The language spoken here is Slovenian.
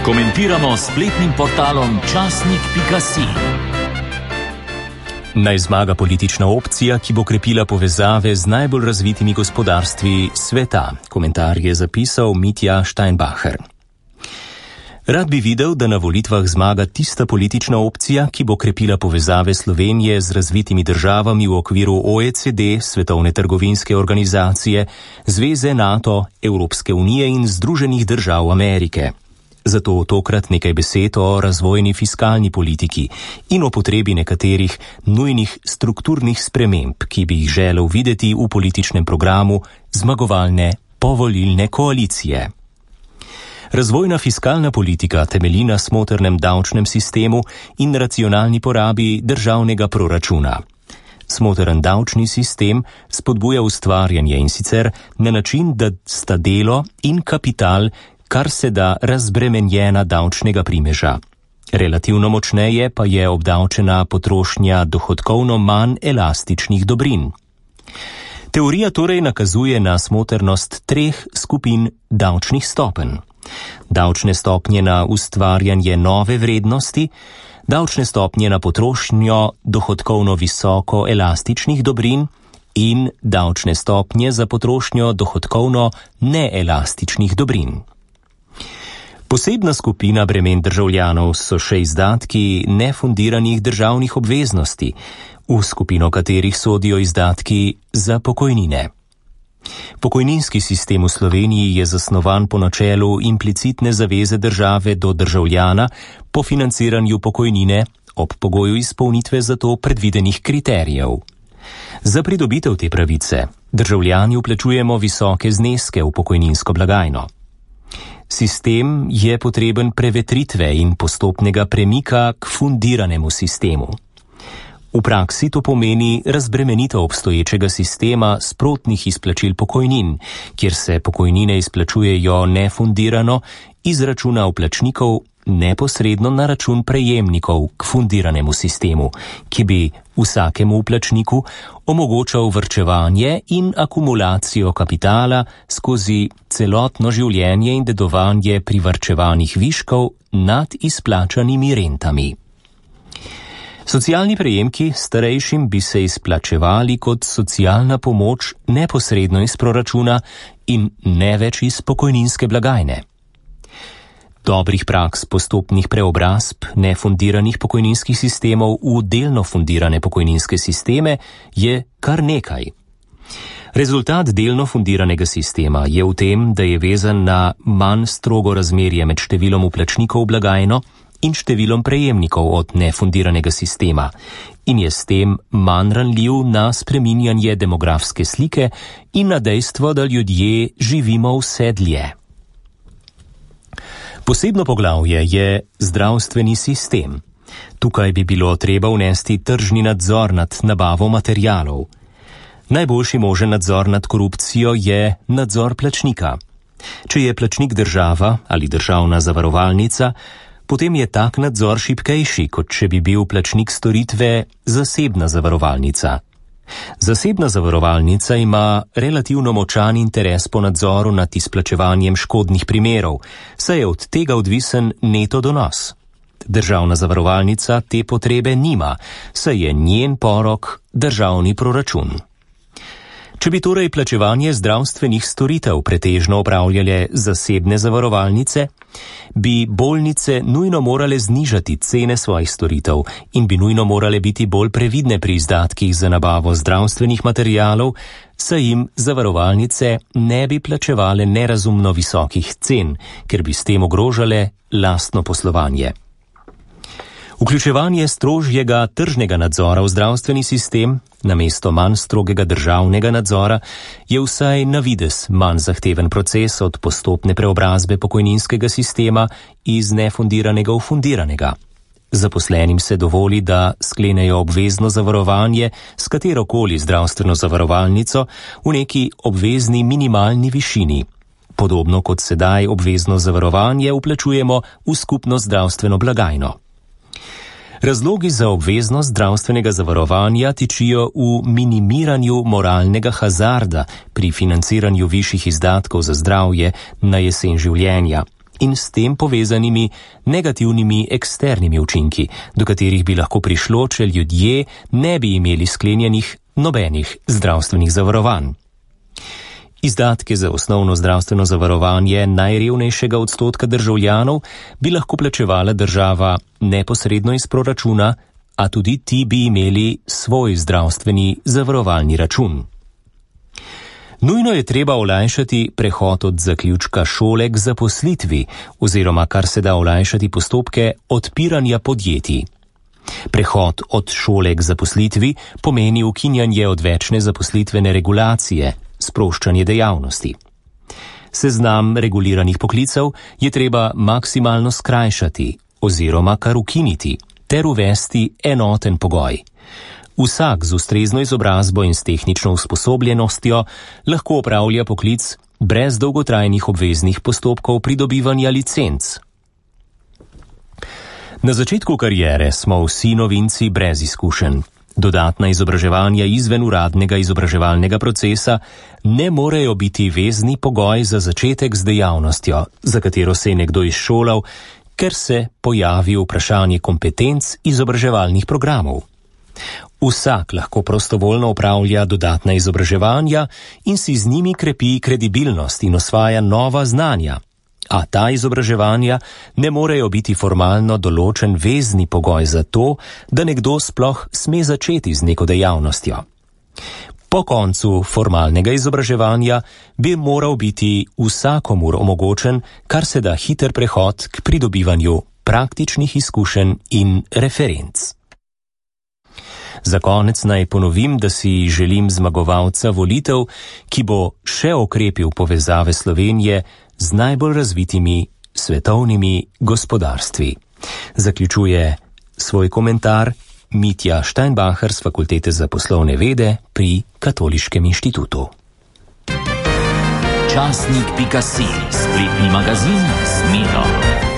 Komentiramo s spletnim portalom časnik.si. Naj zmaga politična opcija, ki bo krepila povezave z najbolj razvitimi gospodarstvi sveta. Komentar je zapisal Mitja Steinbacher. Rad bi videl, da na volitvah zmaga tista politična opcija, ki bo krepila povezave Slovenije z razvitimi državami v okviru OECD, Svetovne trgovinske organizacije, Zveze NATO, Evropske unije in Združenih držav Amerike. Zato tokrat nekaj besed o razvojni fiskalni politiki in o potrebi nekaterih nujnih strukturnih sprememb, ki bi jih želel videti v političnem programu zmagovalne povolilne koalicije. Razvojna fiskalna politika temelji na smotrnem davčnem sistemu in racionalni porabi državnega proračuna. Smotren davčni sistem spodbuja ustvarjanje in sicer na način, da sta delo in kapital kar se da razbremenjena davčnega primeža. Relativno močneje pa je obdavčena potrošnja dohodkovno manj elastičnih dobrin. Teorija torej nakazuje na smotrnost treh skupin davčnih stopenj. Davčne stopnje na ustvarjanje nove vrednosti, davčne stopnje na potrošnjo dohodkovno visoko elastičnih dobrin in davčne stopnje za potrošnjo dohodkovno neelastičnih dobrin. Posebna skupina bremen državljanov so še izdatki nefundiranih državnih obveznosti, v skupino katerih sodijo izdatki za pokojnine. Pokojninski sistem v Sloveniji je zasnovan po načelu implicitne zaveze države do državljana po financiranju pokojnine ob pogoju izpolnitve za to predvidenih kriterijev. Za pridobitev te pravice državljani vplačujemo visoke zneske v pokojninsko blagajno. Sistem je potreben prevetritve in postopnega premika k fundiranemu sistemu. V praksi to pomeni razbremenitev obstoječega sistema sprotnih izplačil pokojnin, kjer se pokojnine izplačujejo nefundirano iz računa vplačnikov neposredno na račun prejemnikov k fundiranemu sistemu, ki bi vsakemu vplačniku omogočal varčevanje in akumulacijo kapitala skozi celotno življenje in dedovanje privarčevanih viškov nad izplačanimi rentami. Socialni prejemki starejšim bi se izplačevali kot socialna pomoč neposredno iz proračuna in ne več iz pokojninske blagajne. Dobrih praks postopnih preobrazb nefundiranih pokojninskih sistemov v delno fundirane pokojninske sisteme je kar nekaj. Rezultat delno fundiranega sistema je v tem, da je vezan na manj strogo razmerje med številom vplačnikov v blagajno in številom prejemnikov od nefundiranega sistema in je s tem manj ranljiv na spreminjanje demografske slike in na dejstvo, da ljudje živimo vse dlje. Posebno poglavje je zdravstveni sistem. Tukaj bi bilo treba vnesti tržni nadzor nad nabavo materialov. Najboljši možen nadzor nad korupcijo je nadzor plačnika. Če je plačnik država ali državna zavarovalnica, potem je tak nadzor šibkejši, kot če bi bil plačnik storitve zasebna zavarovalnica. Zasebna zavarovalnica ima relativno močan interes po nadzoru nad izplačevanjem škodnih primerov, saj je od tega odvisen neto donos. Državna zavarovalnica te potrebe nima, saj je njen porok državni proračun. Če bi torej plačevanje zdravstvenih storitev pretežno opravljale zasebne zavarovalnice, bi bolnice nujno morale znižati cene svojih storitev in bi nujno morale biti bolj previdne pri izdatkih za nabavo zdravstvenih materialov, saj jim zavarovalnice ne bi plačevale nerazumno visokih cen, ker bi s tem ogrožale lastno poslovanje. Vključevanje strožjega tržnega nadzora v zdravstveni sistem namesto manj strogega državnega nadzora je vsaj na videz manj zahteven proces od postopne preobrazbe pokojninskega sistema iz nefundiranega v fundiranega. Zaposlenim se dovoli, da sklenejo obvezno zavarovanje s katerokoli zdravstveno zavarovalnico v neki obvezni minimalni višini. Podobno kot sedaj obvezno zavarovanje vplačujemo v skupno zdravstveno blagajno. Razlogi za obveznost zdravstvenega zavarovanja tičijo v minimiranju moralnega hazarda pri financiranju višjih izdatkov za zdravje na jesen življenja, in s tem povezanimi negativnimi eksternimi učinki, do katerih bi lahko prišlo, če ljudje ne bi imeli sklenjenih nobenih zdravstvenih zavarovanj. Izdatke za osnovno zdravstveno zavarovanje najrevnejšega odstotka državljanov bi lahko plačevala država neposredno iz proračuna, a tudi ti bi imeli svoj zdravstveni zavarovalni račun. Nujno je treba olajšati prehod od zaključka šole k zaposlitvi oziroma kar se da olajšati postopke odpiranja podjetij. Prehod od šole k zaposlitvi pomeni ukinjanje odvečne zaposlitvene regulacije, sproščanje dejavnosti. Seznam reguliranih poklicev je treba maksimalno skrajšati oziroma kar ukiniti ter uvesti enoten pogoj. Vsak z ustrezno izobrazbo in s tehnično usposobljenostjo lahko opravlja poklic brez dolgotrajnih obveznih postopkov pridobivanja licenc. Na začetku kariere smo vsi novinci brez izkušenj. Dodatna izobraževanja izven uradnega izobraževalnega procesa ne morejo biti vezni pogoj za začetek z dejavnostjo, za katero se je nekdo izšolal, ker se pojavi vprašanje kompetenc izobraževalnih programov. Vsak lahko prostovoljno opravlja dodatna izobraževanja in si z njimi krepi kredibilnost in osvaja nova znanja, a ta izobraževanja ne morejo biti formalno določen vezni pogoj za to, da nekdo sploh sme začeti z neko dejavnostjo. Po koncu formalnega izobraževanja bi moral biti vsakomur omogočen kar se da hiter prehod k pridobivanju praktičnih izkušenj in referenc. Za konec naj ponovim, da si želim zmagovalca volitev, ki bo še okrepil povezave Slovenije z najbolj razvitimi svetovnimi gospodarstvi. Zaključuje svoj komentar Mitja Steinbacher z Fakultete za poslovne vede pri Katoliškem inštitutu. Časnik.si, spletni magazin z Miro.